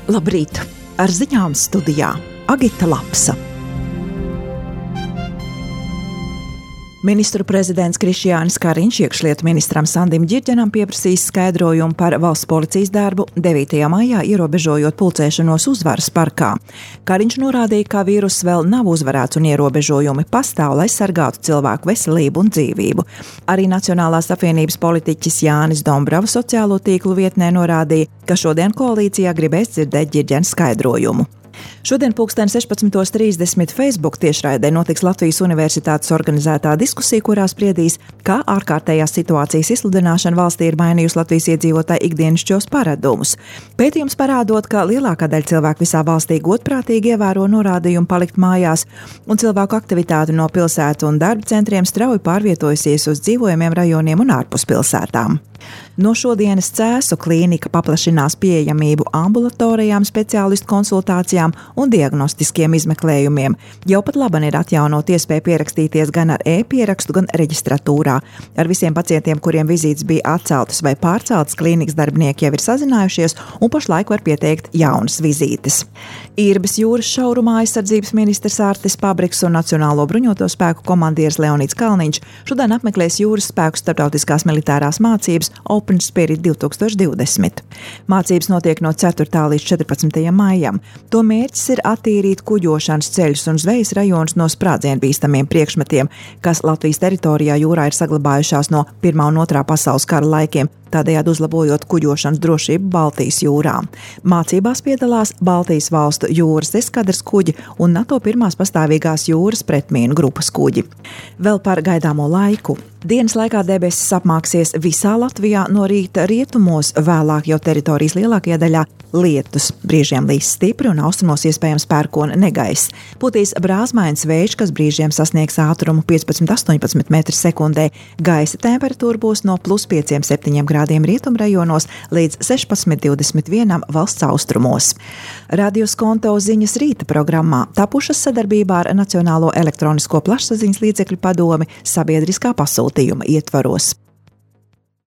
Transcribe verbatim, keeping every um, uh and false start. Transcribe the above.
Labrīt! Ar ziņām studijā Agita Lapsa. Ministru prezidents Krišjānis Kariņš iekšlietu ministram Sandim Ģirģenam pieprasīs skaidrojumu par valsts policijas darbu devītajā maijā ierobežojot pulcēšanos Uzvaras parkā. Kariņš norādīja, ka vīruss vēl nav uzvarēts un ierobežojumi pastāv, lai sargātu cilvēku veselību un dzīvību. Arī Nacionālās apvienības politiķis Jānis Dombrava sociālo tīklu vietnē norādīja, ka šodien koalīcijā gribēs dzirdēt Ģirģena skaidrojumu. Šodien pulksten sešpadsmit trīsdesmit Facebook tiešraidē notiks Latvijas Universitātes organizētā diskusija, kurā spriedīs, kā ārkārtējās situācijas izsludināšana valstī ir mainījusi Latvijas iedzīvotāju ikdienišķos paradumus. Pētījums parādot, ka lielākā daļa cilvēku visā valstī godprātīgi ievēro norādījumu palikt mājās, un cilvēku aktivitāte no pilsētu un darba centriem strauji pārvietojusies uz dzīvojamiem rajoniem un ārpus pilsētām. No šodienas Cēsu klīnika paplašinās pieejamību ambulatorijām, speciālistu konsultācijām un diagnostiskiem izmeklējumiem. Jau pat laban ir atjaunot iespēju pierakstīties gan ar e-pierakstu, gan reģistratūrā. Ar visiem pacientiem, kuriem vizītes bija atceltas vai pārceltas, klīnikas darbinieki jau ir sazinājušies un pašlaik var pieteikt jaunas vizītes. Īrbes jūras šaurumā aizsardzības ministrs Ārtis Pabriks un Nacionālo bruņoto spēku komandieris Leonīds Kalniņš šodien apmeklēs jūras spēku starptautiskās militārās mācības Open Spirit divtūkstoš divdesmit. Mācības notiek no ceturtā līdz četrpadsmitajam maijam. To mērķis ir attīrīt kuģošanas ceļus un zvejas rajonus no sprādzienbīstamiem priekšmetiem, kas Latvijas teritorijā jūrā ir saglabājušās no Pirmā un Otrā pasaules kara laikiem, tādējādi uzlabojot kuģošanas drošību Baltijas jūrā. Mācībās piedalās Baltijas valstu jūras eskadras kuģi un NATO pirmās pastāvīgās jūras pretmīnu grupas kuģi. Vēl par gaidāmo laiku. Dienas laikā debesis apmāksies visā Latvijā, no rīta rietumos, vēlāk jau teritorijas lielākajā daļā lietus. Brīžiem līs stipri un austrumos iespējams pērkona negaiss. Putīs brāzmains vējš, kas brīžiem sasniegs ātrumu piecpadsmit līdz astoņpadsmit metri sekundē. Gaisa temperatūra būs no plus pieciem septiņiem grādiem rietumrajonos līdz sešpadsmit līdz divdesmit vienam valsts austrumos. Radio Skonto ziņas rīta programmā tapušas sadarbībā ar Nacionālo elektronisko plašsaziņas līdzekļu padomi sabiedriskā pasūtījuma ietvaros.